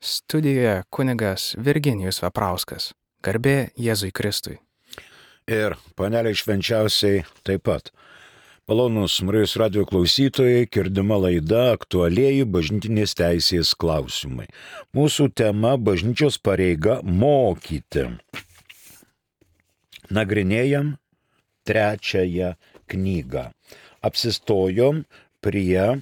Studijoje kunigas Virginijus Veprauskas. Garbė Jėzui Kristui. Ir paneliai švenčiausiai taip pat. Malonūs Marijos radijo klausytojai, girdima laida aktualieji bažnytinės teisės klausimai. Mūsų tema - bažnyčios pareiga mokyti. Nagrinėjam 3 knygą. Apsistojom prie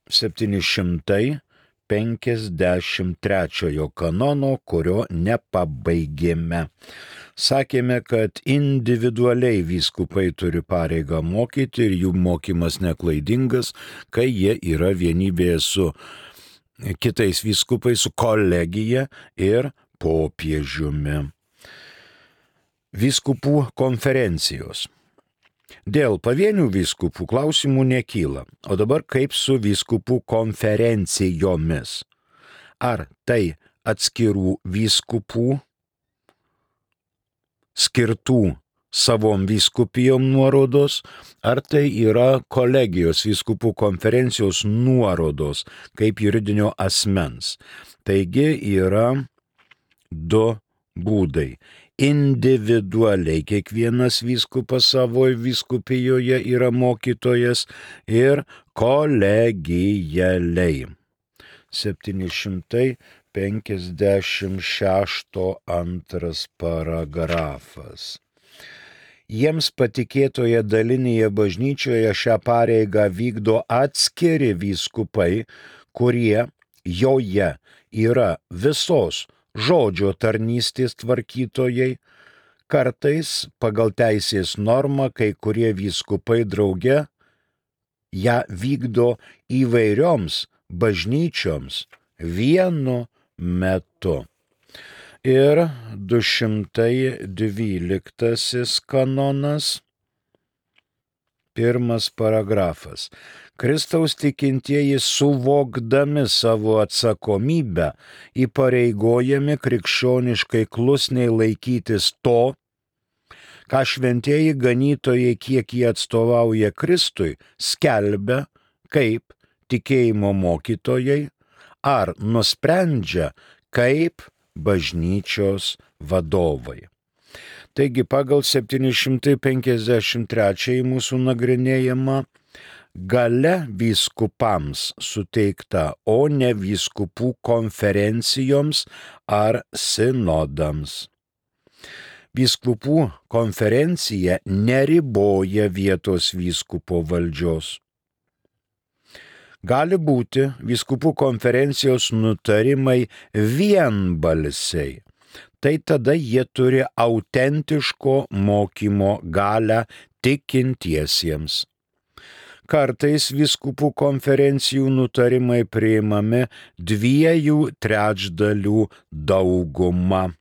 753 kanono, kurio nepabaigėme. Sakėme, kad individualiai vyskupai turi pareigą mokyti ir jų mokymas neklaidingas, kai jie yra vienybėje su kitais vyskupais, su kolegija ir popiežiumi. Vyskupų konferencijos. Dėl pavienių vyskupų klausimų nekyla, o dabar kaip su vyskupų konferencijomis? Ar tai atskirų vyskupų skirtų savom vyskupijom nuorodos, ar tai yra kolegijos vyskupų konferencijos nuorodos kaip juridinio asmens? Taigi yra 2 būdai. Individualiai kiekvienas vyskupas savo vyskupijoje yra mokytojas ir kolegialiai. 756 antras paragrafas. Jiems patikėtoje dalinėje bažnyčioje šią pareigą vykdo atskiri vyskupai, kurie joje yra visos žodžio tarnystės tvarkytojai. Kartais pagal teisės normą kai kurie vyskupai drauge ją vykdo įvairioms bažnyčioms vienu metu. Ir 212 kanonas, 1 paragrafas. Kristaus tikintieji suvokdami savo atsakomybę įpareigojami krikščioniškai klusniai laikytis to, ką šventieji ganytojai, kiek jie atstovauja Kristui, skelbia kaip tikėjimo mokytojai ar nusprendžia kaip bažnyčios vadovai. Taigi pagal 753 mūsų nagrinėjimą galia vyskupams suteikta, o ne vyskupų konferencijoms ar sinodams. Vyskupų konferencija neriboja vietos vyskupo valdžios. Gali būti vyskupų konferencijos nutarimai vienbalsiai. Tai tada jie turi autentiško mokymo galią tikintiesiems. Kartais vyskupų konferencijų nutarimai priimami 2/3 dauguma.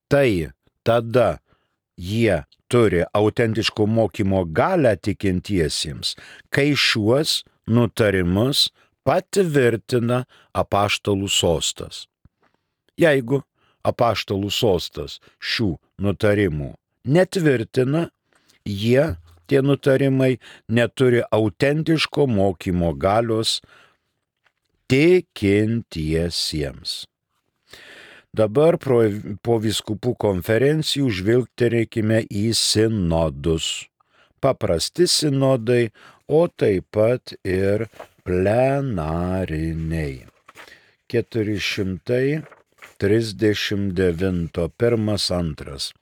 Tai tada jie turi autentiško mokymo galią tikintiesiems, kai šiuos nutarimus patvirtina apaštalų sostas. Jeigu apaštalų sostas šių nutarimų netvirtina, tie nutarimai neturi autentiško mokymo galios tikintiesiems. Dabar po vyskupų konferencijų žvilgterėkime į sinodus. Paprasti sinodai, o taip pat ir plenariniai. 439, 1-2.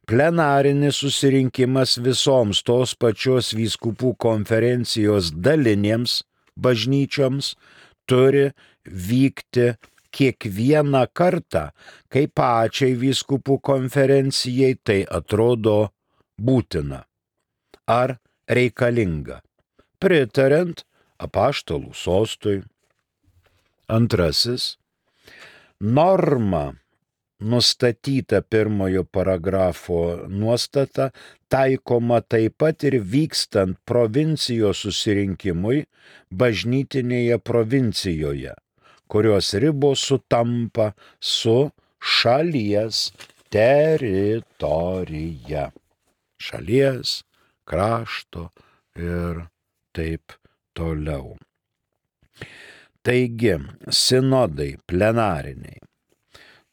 Plenarinis susirinkimas visoms tos pačios vyskupų konferencijos dalinėms bažnyčioms turi vykti kiekvieną kartą, kai pačiai vyskupų konferencijai tai atrodo būtina ar reikalinga, pritariant apaštalų sostui. 2. Norma nustatyta 1 paragrafo nuostata taikoma taip pat ir vykstant provincijos susirinkimui bažnytinėje provincijoje, kurios ribos sutampa su šalies teritorija. Šalies, krašto ir taip toliau. Taigi, sinodai plenariniai.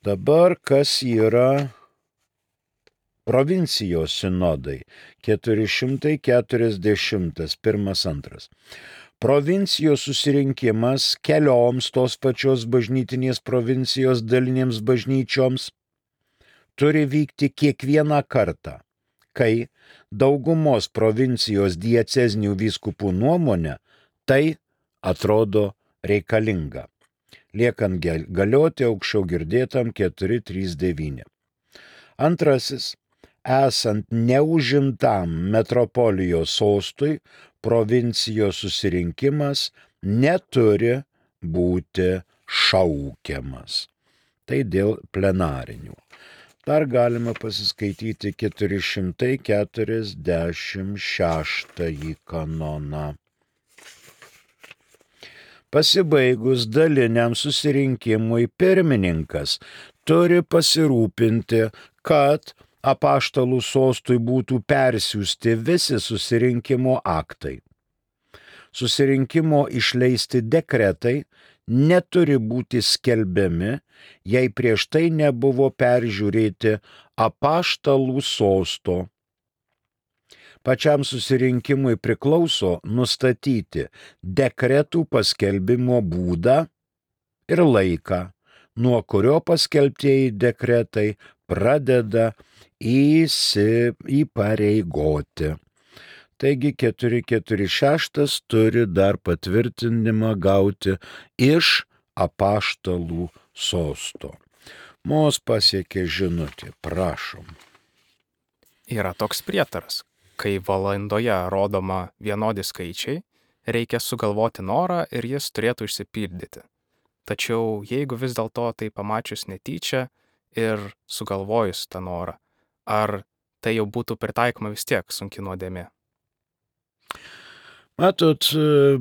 Dabar kas yra provincijos sinodai? 440, pirmas, antras. Provincijos susirinkimas kelioms tos pačios bažnytinės provincijos dalinėms bažnyčioms turi vykti kiekvieną kartą, kai daugumos provincijos diecezinių vyskupų nuomonė tai atrodo reikalinga, liekant galioti aukščiau girdėtam 439. Antrasis, esant neužimtam metropolijos sostui, provincijos susirinkimas neturi būti šaukiamas. Tai dėl plenarinių. Dar galima pasiskaityti 446 kanoną. Pasibaigus daliniam susirinkimui pirmininkas turi pasirūpinti, kad apaštalų sostui būtų persiųsti visi susirinkimo aktai. Susirinkimo išleisti dekretai neturi būti skelbiami, jei prieš tai nebuvo peržiūrėti apaštalų sosto. Pačiam susirinkimui priklauso nustatyti dekretų paskelbimo būdą ir laiką, nuo kurio paskelbtieji dekretai pradeda įpareigoti. Taigi 446 turi dar patvirtinimą gauti iš apaštalų sosto. Mus pasiekė žinutė, prašom. Yra toks prietaras. Kai valandoje rodoma vienodi skaičiai, reikia sugalvoti norą ir jis turėtų išsipildyti. Tačiau jeigu vis dėlto tai pamačius netyčia ir sugalvojus tą norą, ar tai jau būtų pritaikoma vis tiek sunki nuodėmė? Matot,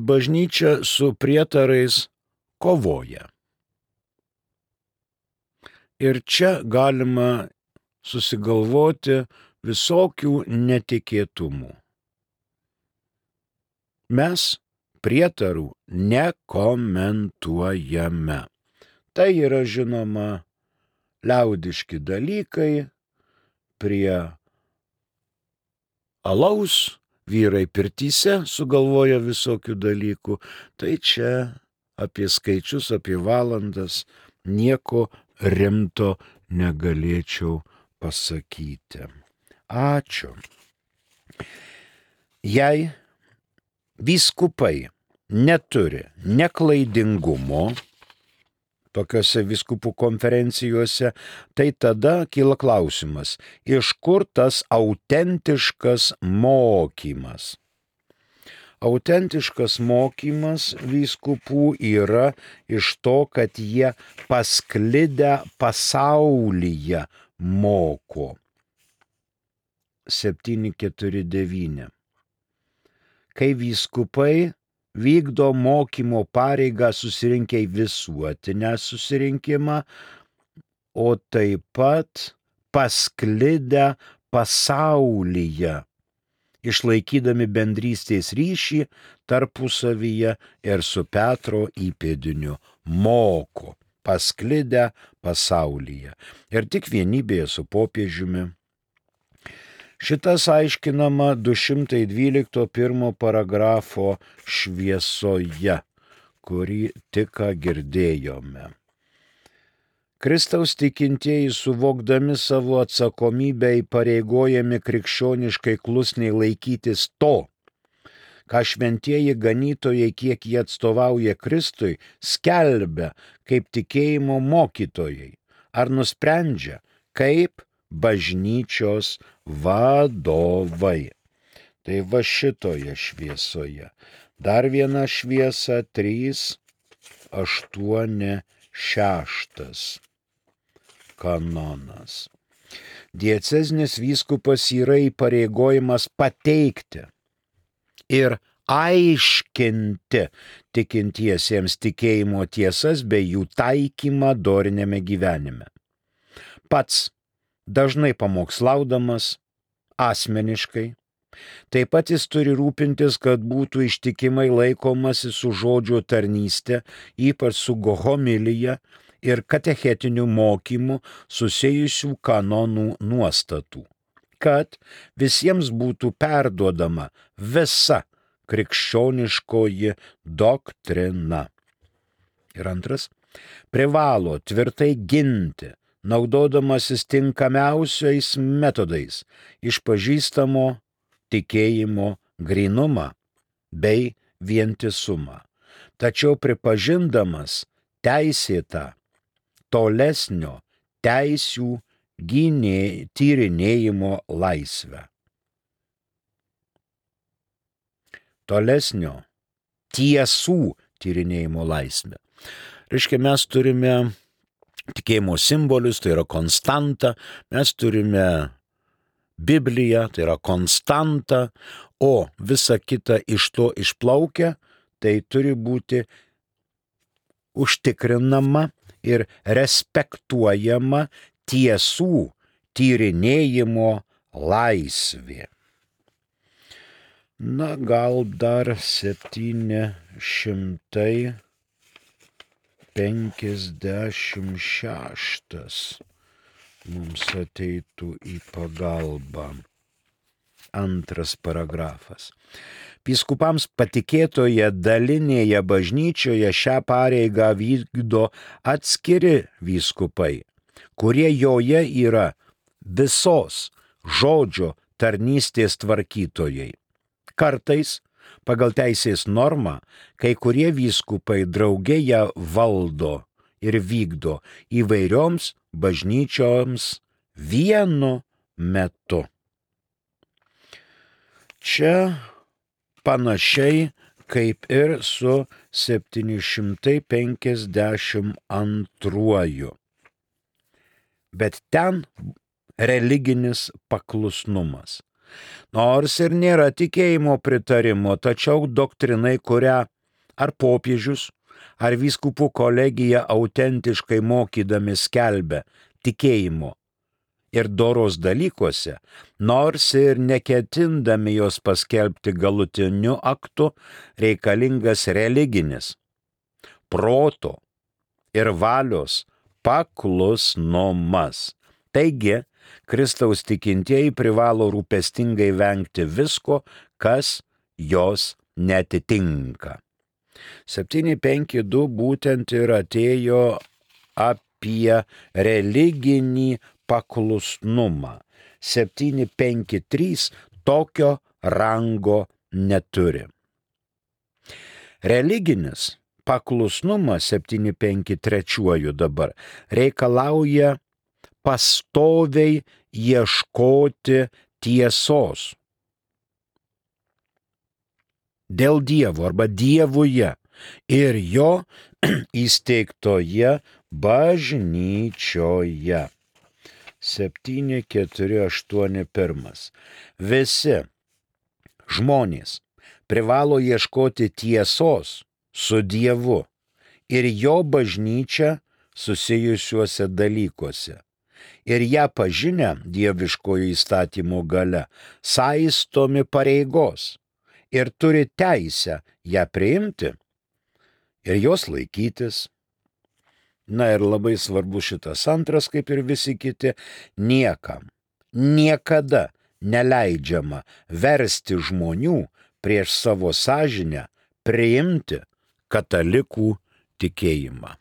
bažnyčia su prietarais kovoja. Ir čia galima susigalvoti visokių netikėtumų. Mes prietarų nekomentuojame. Tai yra žinoma liaudiški dalykai, prie alaus vyrai pirtyse sugalvoja visokių dalykų. Tai čia apie skaičius, apie valandas nieko rimto negalėčiau pasakyti. Ačiū. Jei vyskupai neturi neklaidingumo tokiose vyskupų konferencijose, tai tada kyla klausimas, iš kur tas autentiškas mokymas? Autentiškas mokymas vyskupų yra iš to, kad jie pasklidę pasaulyje moko. 749. Kai vyskupai vykdo mokymo pareigą susirinkę į visuotinę susirinkimą, o taip pat pasklidę pasaulyje, išlaikydami bendrystės ryšį tarpusavyje ir su Petro įpėdiniu moko, pasklidę pasaulyje ir tik vienybėje su popiežiumi. Šitas aiškinama 212 paragrafo šviesoje, kurį tik girdėjome. Kristaus tikintieji, suvokdami savo atsakomybę, įpareigojami krikščioniškai klusniai laikytis to, ką šventieji ganytojai, kiek jie atstovauja Kristui, skelbia kaip tikėjimo mokytojai, ar nusprendžia kaip bažnyčios vadovai. Tai va šitoje šviesoje. Dar viena šviesa 386 kanonas. Diecezinis vyskupas yra įpareigojimas pateikti ir aiškinti tikintiesiems tikėjimo tiesas bei jų taikymą dorinėme gyvenime. Pats dažnai pamokslaudamas asmeniškai Taip pat jis turi rūpintis, kad būtų ištikimai laikomasi su žodžio tarnystė, ypač su homilija ir katechetiniu mokymu susijusių kanonų nuostatų, kad visiems būtų perduodama visa krikščioniškoji doktrina. Ir antras, privalo tvirtai ginti, naudodamasis tinkamiausiais metodais, išpažįstamo tikėjimo grynumą bei vientisumą, tačiau pripažindamas teisėtą tolesnio teisių tyrinėjimo laisvę. Tolesnio tiesų tyrinėjimo laisvę. Reiškia, mes turime tikėjimo simbolius, tai yra konstanta, mes turime Bibliją, tai yra konstanta, o visa kita iš to išplaukia, tai turi būti užtikrinama ir respektuojama tiesų tyrinėjimo laisvė. Na, gal dar 756 mums ateitų į pagalbą. Antras paragrafas. Vyskupams patikėtoje dalinėje bažnyčioje šią pareigą vykdo atskiri vyskupai, kurie joje yra visos žodžio tarnystės tvarkytojai. Kartais, pagal teisės normą, kai kurie vyskupai drauge ją valdo ir vykdo įvairioms bažnyčioms vienu metu. Čia panašiai kaip ir su 752. Bet ten religinis paklusnumas. Nors ir nėra tikėjimo pritarimo, tačiau doktrinai, kurią ar popiežius, ar vyskupų kolegija autentiškai mokydami skelbia tikėjimo ir doros dalykuose, nors ir neketindami jos paskelbti galutiniu aktu, reikalingas religinis, proto ir valios paklusnumas. Taigi, Kristaus tikintieji privalo rūpestingai vengti visko, kas jos netitinka. 752 būtent ir atėjo apie religinį paklusnumą. 753 tokio rango neturi. Religinis paklusnumas 753 dabar reikalauja pastoviai ieškoti tiesos dėl Dievo arba Dievuje ir jo įsteigtoje bažnyčioje. 748. Visi žmonės privalo ieškoti tiesos su Dievu ir jo bažnyčia susijusiuose dalykuose. Ir ją pažinę dieviškojo įstatymo galia, saistomi pareigos ir turi teisę ją priimti ir jos laikytis. Na ir labai svarbu šitas antras, kaip ir visi kiti, niekam, niekada neleidžiama versti žmonių prieš savo sąžinę priimti katalikų tikėjimą.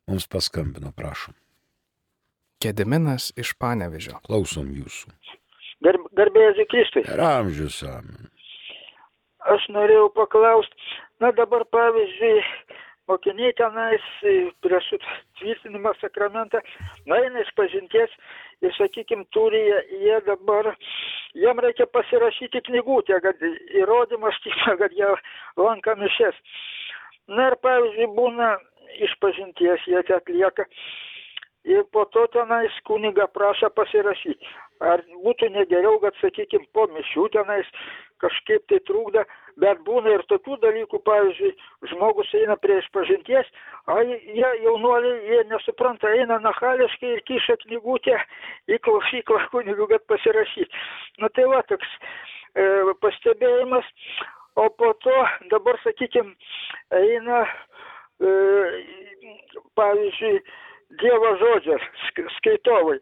Mums paskambino, prašom. Gediminas iš Panevėžio. Klausom jūsų. Garbėsiu Kristui. Ir amžius amen. Aš norėjau paklausti, na dabar pavyzdžiui, mokiniai tenais prieš tvirtinimą sakramentą, eina iš pažinties ir, sakykime, turi jie dabar, jiem reikia pasirašyti knygutę, kad įrodymas, kad jie lanka mišias. Na ir pavyzdžiui, būna iš pažinties jie atlieka. Ir po to tenais kunigą prašo pasirašyti. Ar būtų negeriau, kad, sakykime, po mišių tenais kažkaip tai trūkda, bet būna ir tokių dalykų, pavyzdžiui, žmogus eina prie išpažinties, jie jaunuoliai, jie nesupranta, eina nachališkai ir kiša knygutę į klausyklą kunigų, kad pasirašyti. Nu tai va, toks pastebėjimas, o po to dabar, sakykime, eina, pavyzdžiui, Dievo žodžio skaitovai.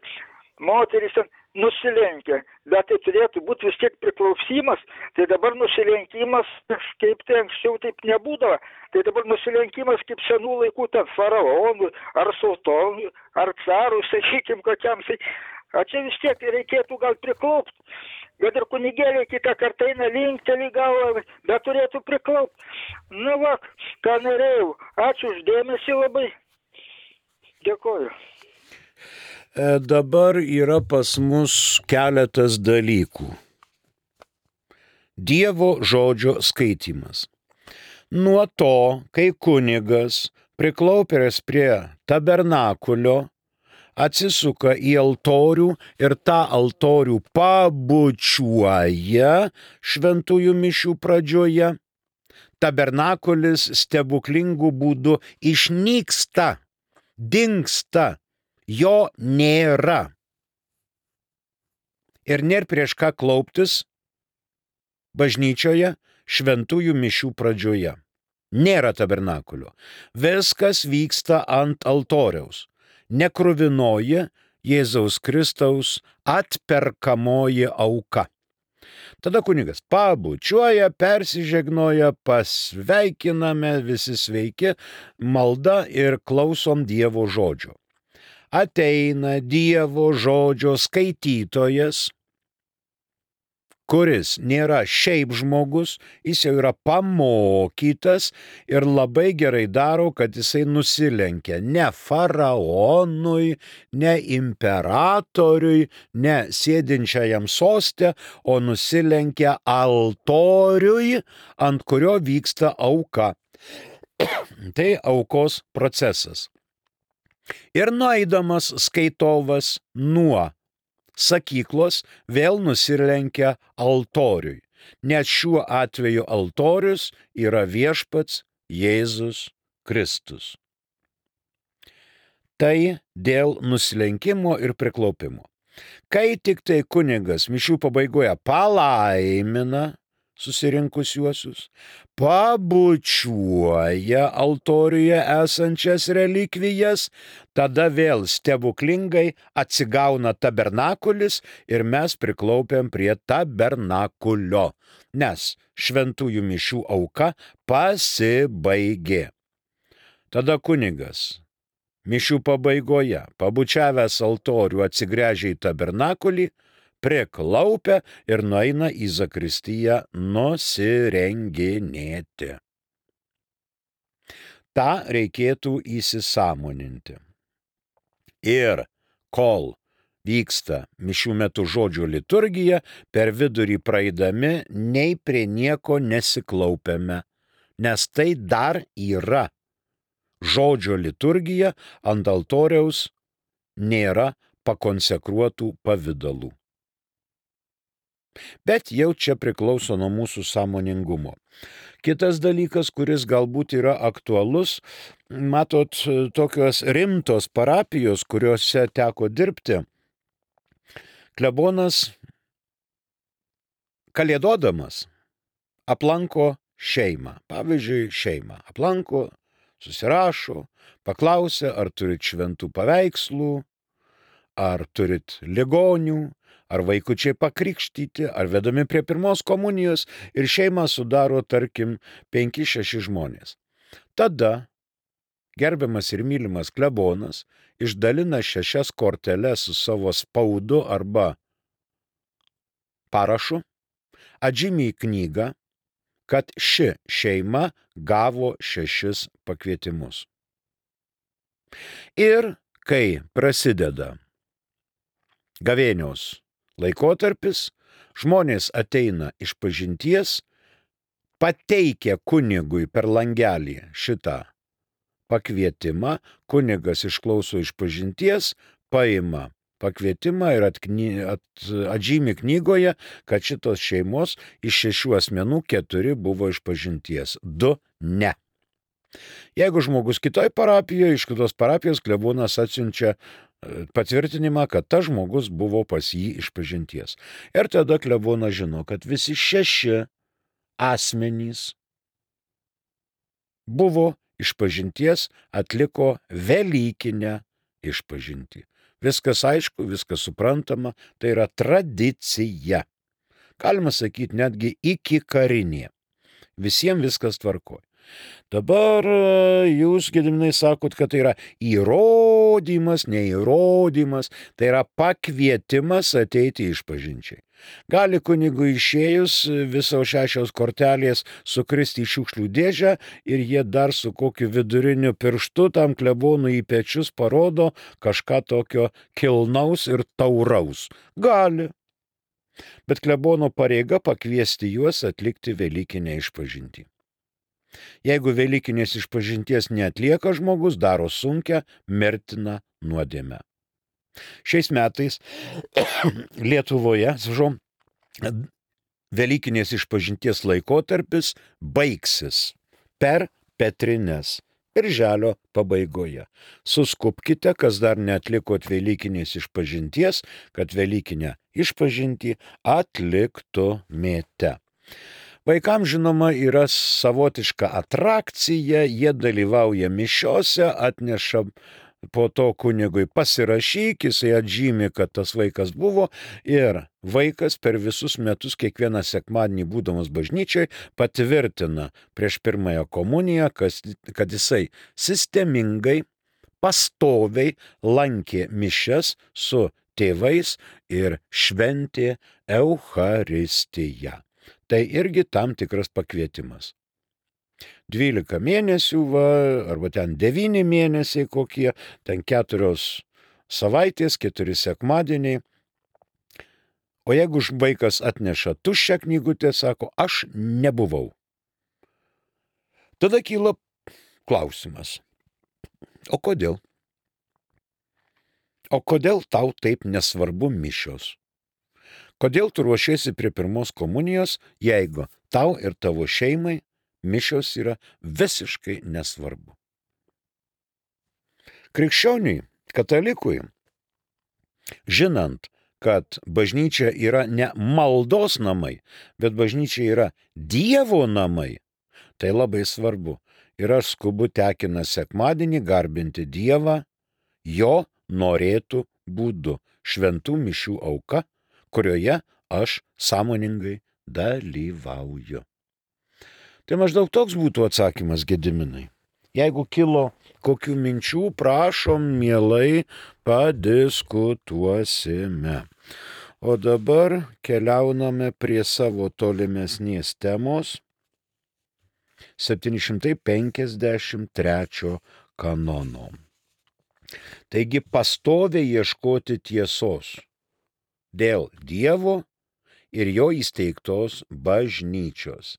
Moterys ten nusilenkia, bet tai turėtų būti vis tiek priklausymas, tai dabar nusilenkimas, kaip tai anksčiau taip nebūdavo, tai dabar nusilenkimas kaip senų laikų ten faraonų, ar sultonų, ar carų, sakykim, kokiam, o čia vis tiek reikėtų gal priklaupti, bet ir kunigėliai kitą kartą eina linkteli galvą, bet turėtų priklaupti. Nu va, ką norėjau, ačiū už dėmesį labai, dėkoju. Dabar yra pas mus keletas dalykų. Dievo žodžio skaitymas. Nuo to, kai kunigas priklaupęs prie tabernakulio atsisuka į altorių ir tą altorių pabučiuoja šventųjų mišių pradžioje, tabernakulis stebuklingų būdų išnyksta, dingsta. Jo nėra. Ir nėra prieš ką klauptis bažnyčioje šventųjų mišių pradžioje. Nėra tabernakulio. Viskas vyksta ant altoriaus. Nekruvinoji Jėzaus Kristaus atperkamoji auka. Tada kunigas pabučiuoja, persižegnoja, pasveikiname, visi sveiki, malda ir klausom Dievo žodžio. Ateina Dievo žodžio skaitytojas, kuris nėra šiaip žmogus, jis jau yra pamokytas ir labai gerai daro, kad jisai nusilenkia ne faraonui, ne imperatoriui, ne sėdinčiajam soste, o nusilenkia altoriui, ant kurio vyksta auka. Tai aukos procesas. Ir nueidamas skaitovas nuo sakyklos vėl nusilenkia altoriui, nes šiuo atveju altorius yra viešpats Jėzus Kristus. Tai dėl nusilenkimo ir priklaupimo. Kai tik tai kunigas mišių pabaigoje palaimina susirinkusiuosius, pabučiuoja altoriuje esančias relikvijas, tada vėl stebuklingai atsigauna tabernakulis ir mes priklaupiam prie tabernakulio, nes šventųjų mišių auka pasibaigė. Tada kunigas mišių pabaigoje, pabučiavęs altorių, atsigręžia į tabernakulį, priklaupia ir nueina į zakristiją nusirenginėti. Ta reikėtų įsisąmoninti. Ir kol vyksta mišių metu žodžio liturgija, per vidurį praeidami nei prie nieko nesiklaupiame, nes tai dar yra žodžio liturgija, ant altoriaus nėra pakonsekruotų pavydalų. Bet jau čia priklauso nuo mūsų sąmoningumo. Kitas dalykas, kuris galbūt yra aktualus, matot, tokios rimtos parapijos, kuriuose teko dirbti, klebonas kalėdodamas aplanko šeimą. Pavyzdžiui, šeimą aplanko, susirašo, paklausia, ar turit šventų paveikslų, ar turit ligonių, ar vaikučiai pakrikštyti, ar vedami prie pirmos komunijos, ir šeimą sudaro, tarkim, 5-6 žmonės. Tada gerbiamas ir mylimas klebonas išdalina 6 korteles su savo spaudu arba parašu, atžymi į knygą, kad ši šeima gavo 6 pakvietimus. Ir kai prasideda gavėnios laikotarpis, žmonės ateina išpažinties, pateikia kunigui per langelį šitą pakvietimą, kunigas išklauso išpažinties, paima pakvietimą ir atžymi knygoje, kad šitos šeimos iš 6 asmenų 4 buvo išpažinties, 2 ne. Jeigu žmogus kitoj parapijoje, iš kitos parapijos klebonas atsiunčia patvirtinimą, kad tas žmogus buvo pas jį išpažinties. Ir tada klebonas žino, kad visi 6 asmenys buvo išpažinties, atliko velykinę išpažintį. Viskas aišku, viskas suprantama, tai yra tradicija. Galima sakyti, netgi iki karinė. Visiems viskas tvarkoja. Dabar jūs, Gediminai, sakot, kad tai yra įrodymas, neįrodymas, tai yra pakvietimas ateiti išpažinčiai. Gali kunigui išėjus visos 6 kortelės sukristi į šiukšlių dėžę ir jie dar su kokiu viduriniu pirštu tam klebonui į pečius parodo kažką tokio kilnaus ir tauraus. Gali. Bet klebono pareiga pakviesti juos atlikti velykinę išpažintį. Jeigu velykinės išpažinties neatlieka žmogus, daro sunkią, mirtiną nuodėmę. Šiais metais Lietuvoje, velykinės išpažinties laikotarpis baigsis per Petrines, birželio pabaigoje. Suskubkite, kas dar neatlikot velykinės išpažinties, kad velykinę išpažintį atliktumėte. Vaikams, žinoma, yra savotiška atrakcija, jie dalyvauja mišiose, atneša po to kunigui pasirašyk, jisai atžymi, kad tas vaikas buvo ir vaikas per visus metus kiekvieną sekmadienį būdamas bažnyčiai patvirtina prieš pirmąją komuniją, kad jisai sistemingai, pastoviai lankė mišias su tėvais ir šventė Eucharistiją. Tai irgi tam tikras pakvietimas. 12 mėnesių, arba ten 9 mėnesiai kokie, ten 4 savaitės, 4 sekmadieniai. O jeigu vaikas atneša tuščią knygutę, sako, aš nebuvau. Tada kyla klausimas. O kodėl? O kodėl tau taip nesvarbu mišios? Kodėl tu ruošiesi prie pirmos komunijos, jeigu tau ir tavo šeimai mišios yra visiškai nesvarbu? Krikščioniui, katalikui, žinant, kad bažnyčia yra ne maldos namai, bet bažnyčia yra Dievo namai, tai labai svarbu. Ir aš skubu tekina sekmadienį garbinti Dievą jo norėtų būdu, šventų mišių auka, kurioje aš sąmoningai dalyvauju. Tai maždaug toks būtų atsakymas, Gediminai. Jeigu kilo kokių minčių, prašom, mielai padiskutuosime. O dabar keliauname prie savo tolimesnės temos 753 kanono. Taigi pastoviai ieškoti tiesos dėl Dievo ir jo įsteigtos bažnyčios.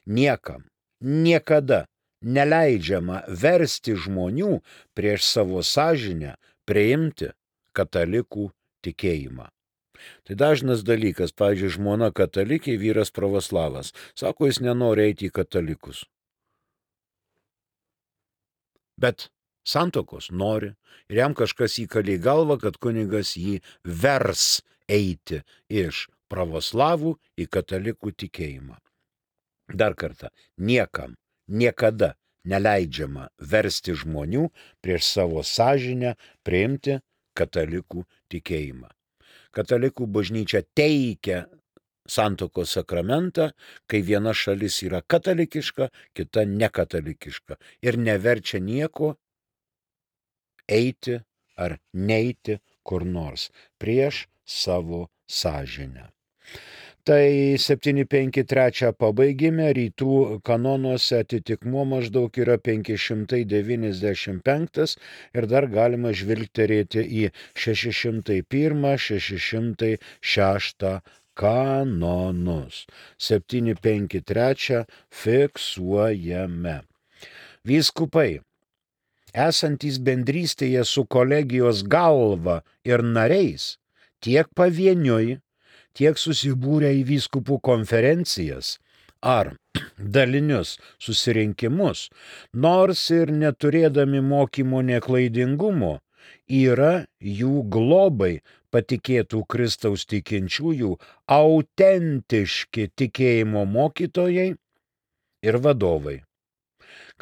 Niekam, niekada neleidžiama versti žmonių prieš savo sąžinę priimti katalikų tikėjimą. Tai dažnas dalykas, pavyzdžiui, žmona katalikė, vyras pravoslavas. Sako, jis nenori eiti į katalikus. Bet santokos nori ir jam kažkas įkalė į galvą, kad kunigas jį vers eiti iš pravoslavų į katalikų tikėjimą. Dar kartą, niekam, niekada neleidžiama versti žmonių prieš savo sąžinę priimti katalikų tikėjimą. Katalikų bažnyčia teikia santokos sakramentą, kai viena šalis yra katalikiška, kita nekatalikiška ir neverčia nieko eiti ar neiti kur nors prieš savo sąžinę. Tai 753 pabaigime, rytų kanonuose atitikmuo maždaug yra 595 ir dar galima žvilgterėti į 601-606 kanonus. 753 fiksuojame. Vyskupai, esantys bendrystėje su kolegijos galva ir nariais, tiek pavieniui, tiek susibūrę į vyskupų konferencijas ar dalinius susirinkimus, nors ir neturėdami mokymo neklaidingumo, yra jų globai patikėtų Kristaus tikinčiųjų autentiški tikėjimo mokytojai ir vadovai.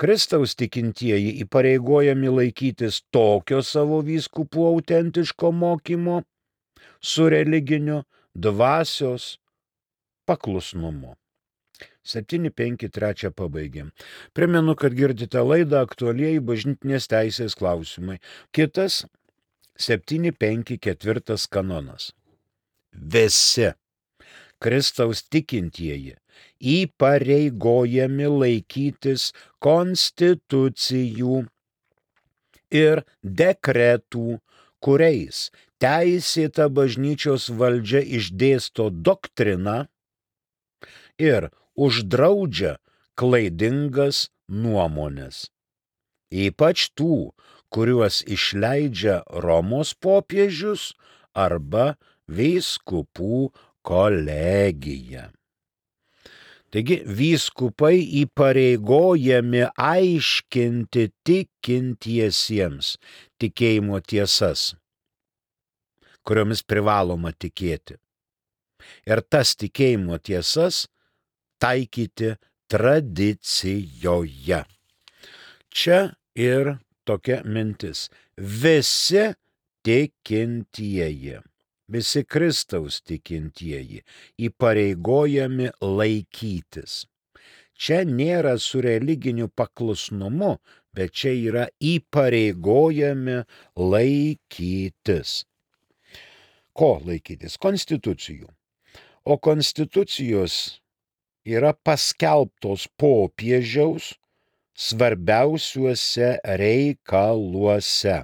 Kristaus tikintieji įpareigojami laikytis tokio savo vyskupų autentiško mokymo su religiniu dvasios paklusnumu. 7.5.3 pabaigėm. Primenu, kad girdite laidą Aktualieji bažnytinės teisės klausimai. Kitas 7.5.4 kanonas. Visi Kristaus tikintieji įpareigojami laikytis konstitucijų ir dekretų, kuriais teisėta bažnyčios valdžia išdėsto doktriną ir uždraudžia klaidingas nuomonės. Ypač tų, kuriuos išleidžia Romos popiežius arba vyskupų kolegija. Taigi vyskupai įpareigojami aiškinti tikintiesiems tikėjimo tiesas, kuriomis privaloma tikėti. Ir tas tikėjimo tiesas taikyti tradicijoje. Čia ir tokia mintis. Visi tikintieji, visi Kristaus tikintieji įpareigojami laikytis. Čia nėra su religiniu paklusnumu, bet čia yra įpareigojami laikytis. Ko laikytis? Konstitucijų. O konstitucijos yra paskelbtos popiežiaus svarbiausiuose reikaluose.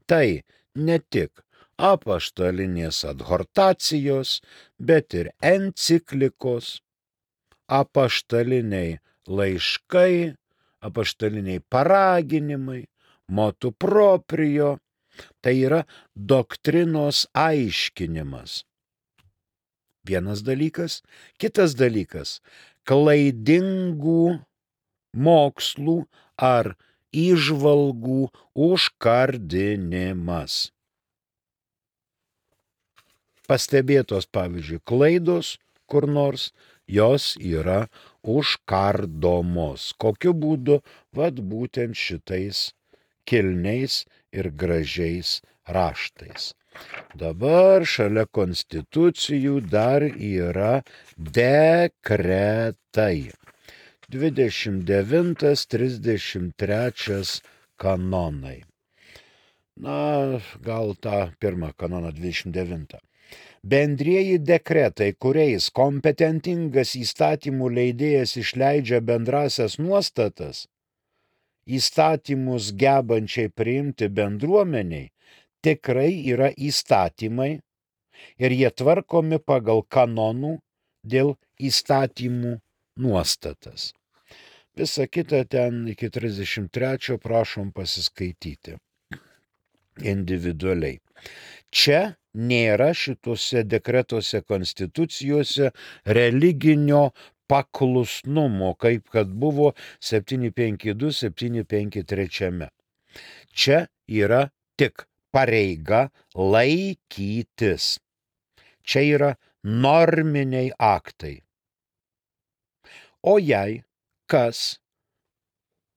Tai ne tik apaštalinės adhortacijos, bet ir enciklikos, apaštaliniai laiškai, apaštaliniai paraginimai, motu proprio, tai yra doktrinos aiškinimas. Vienas dalykas. Kitas dalykas - klaidingų mokslų ar įžvalgų užkardinimas. Pastebėtos, pavyzdžiui, klaidos kur nors, jos yra užkardomos. Kokiu būdu? Vat būtent šitais kilniais ir gražiais raštais. Dabar šalia konstitucijų dar yra dekretai. 29-33 kanonai. Na, gal tą pirmą kanoną 29. Bendrieji dekretai, kuriais kompetentingas įstatymų leidėjas išleidžia bendrasias nuostatas, įstatymus gebančiai priimti bendruomeniai, tikrai yra įstatymai ir jie tvarkomi pagal kanonų dėl įstatymų nuostatas. Visa kita ten iki 33 prašom pasiskaityti individualiai. Čia nėra šituose dekretuose konstitucijose religinio paklusnumo, kaip kad buvo 752, 753. Čia yra tik pareiga laikytis. Čia yra norminiai aktai. O jei kas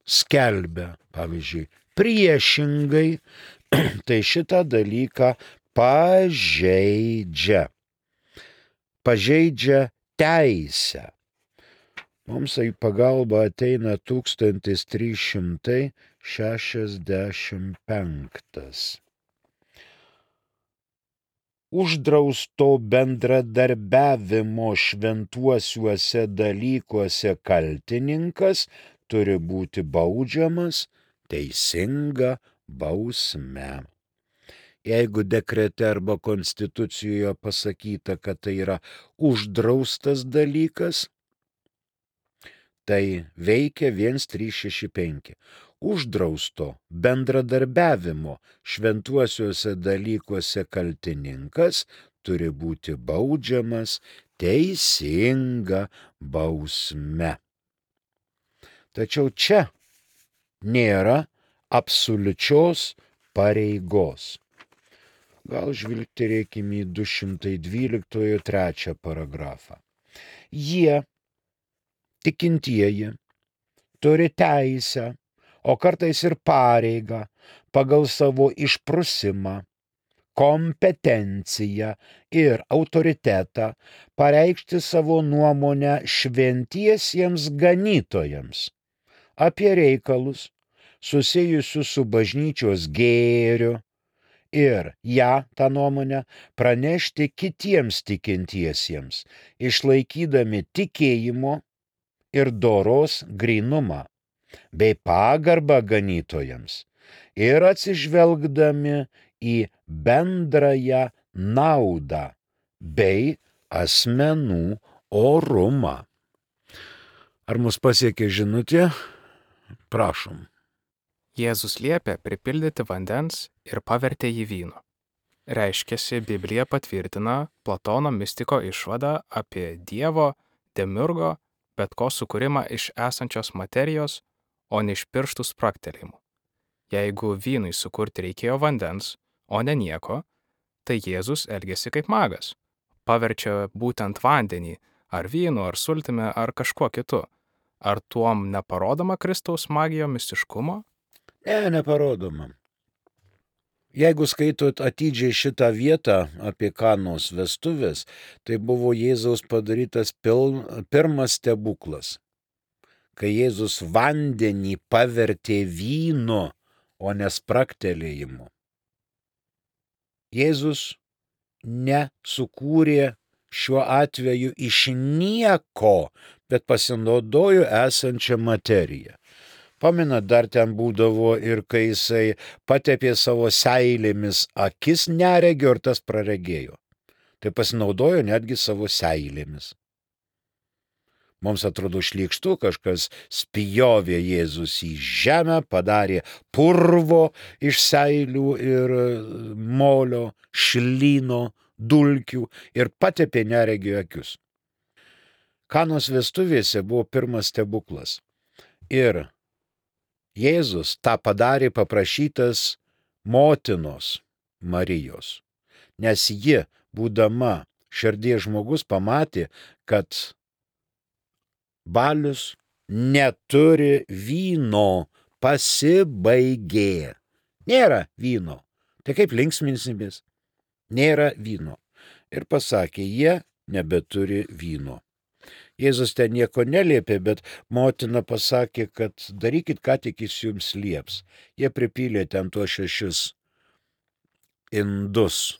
skelbia, pavyzdžiui, priešingai, tai šitą dalyką pažeidžia teisę. Mums į pagalbą ateina 1365. Uždrausto bendradarbiavimo šventuosiuose dalykuose kaltininkas turi būti baudžiamas teisinga bausme. Jeigu dekrete arba konstitucijoje pasakyta, kad tai yra uždraustas dalykas, tai veikia 1365. Uždrausto bendradarbiavimo šventuosiuose dalykuose kaltininkas turi būti baudžiamas teisinga bausme. Tačiau čia nėra absoliučios pareigos. Gal žvilgterėkime į 212 trečią paragrafą. Jie, tikintieji, turi teisę, o kartais ir pareigą pagal savo išprusimą, kompetenciją ir autoritetą pareikšti savo nuomonę šventiesiems ganytojams apie reikalus susijusius su bažnyčios gėriu ir tą nuomonę pranešti kitiems tikintiesiems, išlaikydami tikėjimo ir doros grynumą bei pagarbą ganytojams ir atsižvelgdami į bendrąją naudą bei asmenų orumą. Ar mus pasiekė žinutė? Prašom. Jėzus liepė pripildyti vandens ir pavertė jį vynu. Reiškiasi, Biblija patvirtina Platono mistiko išvadą apie Dievo, demiurgo, bet ko sukūrimą iš esančios materijos, o ne iš pirštų spragtelėjimų. Jeigu vynui sukurti reikėjo vandens, o ne nieko, tai Jėzus elgėsi kaip magas. Paverčia būtent vandenį, ar vynu, ar sultimi, ar kažkuo kitu. Ar tuom neparodoma Kristaus magijo mistiškumo? Ne, neparodoma. Jeigu skaitot atidžiai šitą vietą apie Kanos vestuvės, tai buvo Jėzaus padarytas pirmas stebuklas, kai Jėzus vandenį pavertė vynu, o ne spragtelėjimu. Jėzus nesukūrė šiuo atveju iš nieko, bet pasinaudojo esančią materiją. Pamenat, dar ten būdavo ir kai jisai patepė savo seilėmis akis neregio ir tas praregėjo. Tai pasinaudojo netgi savo seilėmis. Mums atrodo šlykštu, kažkas spjovė Jėzus į žemę, padarė purvo iš seilių ir molio, šlyno, dulkių ir patepė neregio akius. Kanos vestuvėse buvo pirmas stebuklas. Ir Jėzus tą padarė paprašytas motinos Marijos, nes ji, būdama širdies žmogus, pamatė, kad balius neturi vyno, pasibaigė. Nėra vyno. Tai kaip linksminsimės? Nėra vyno. Ir pasakė, jie nebeturi vyno. Jėzus ten nieko neliepė, bet motina pasakė, kad darykit, ką tik jis jums lieps. Jie pripylė ten tuos 6 indus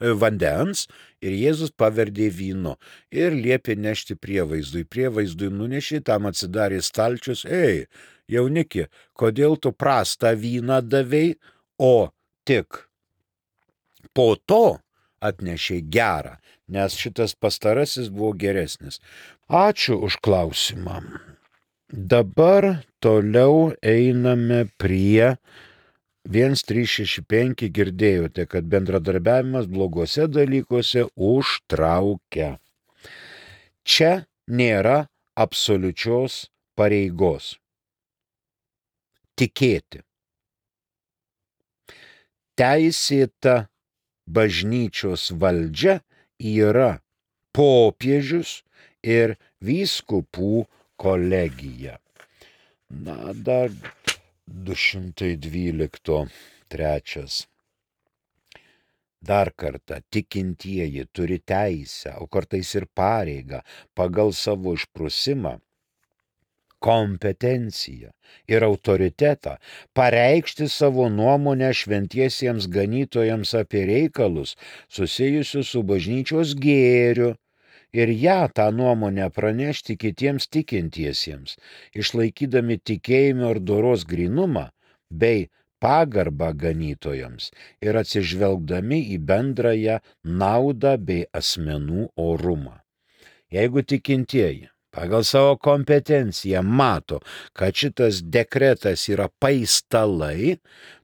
vandens ir Jėzus paverdė vynu ir liepė nešti prievaizdui. Prievaizdui nunešė, tam atsidarė stalčius. Ei, jauniki, kodėl tu prastą vyną davei, o tik po to atnešė gerą, nes šitas pastarasis buvo geresnis. Ačiū už klausimą. Dabar toliau einame prie 1365. Girdėjote, kad bendradarbiavimas blogose dalykuose užtraukia. Čia nėra absoliučios pareigos. Tikėti. Teisėta bažnyčios valdžia yra popiežius ir vyskupų kolegija. Na, dar 212 trečias. Dar kartą, tikintieji turi teisę, o kartais ir pareigą pagal savo išprusimą, kompetenciją ir autoritetą pareikšti savo nuomonę šventiesiems ganytojams apie reikalus susijusius su bažnyčios gėriu ir tą nuomonę pranešti kitiems tikintiesiems, išlaikydami tikėjimo ir doros grynumą bei pagarbą ganytojams ir atsižvelgdami į bendrąją naudą bei asmenų orumą. Jeigu tikintieji pagal savo kompetenciją mato, kad šitas dekretas yra paistalai,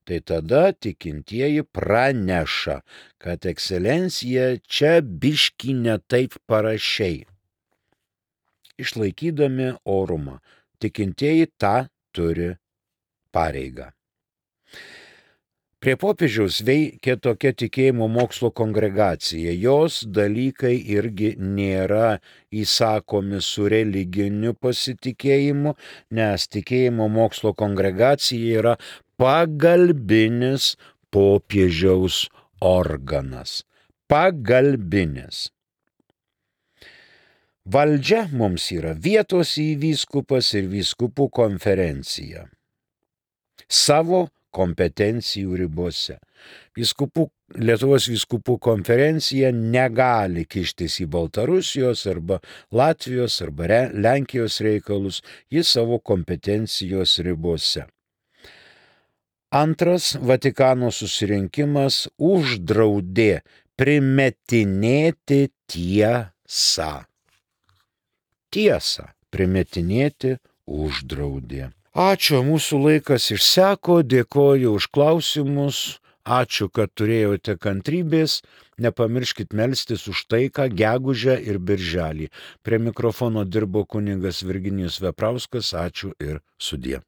tai tada tikintieji praneša, kad ekscelencija čia biškį ne taip parašiai. Išlaikydami orumą, tikintieji tą turi pareigą. Prie popiežiaus veikė tokia tikėjimo mokslo kongregacija. Jos dalykai irgi nėra įsakomi su religiniu pasitikėjimu, nes tikėjimo mokslo kongregacija yra pagalbinis popiežiaus organas. Pagalbinis. Valdžia mums yra vietos vyskupas ir vyskupų konferencija. Savo kompetencijų ribose. Lietuvos vyskupų konferencija negali kištis į Baltarusijos arba Latvijos arba Lenkijos reikalus, jis savo kompetencijos ribose. Antras Vatikano susirinkimas uždraudė primetinėti tiesą. Tiesą primetinėti uždraudė. Ačiū, mūsų laikas išseko, dėkoju už klausimus, ačiū, kad turėjote kantrybės, nepamirškit melstis už taiką gegužę ir birželį. Prie mikrofono dirbo kunigas Virginijus Veprauskas, ačiū ir sudie.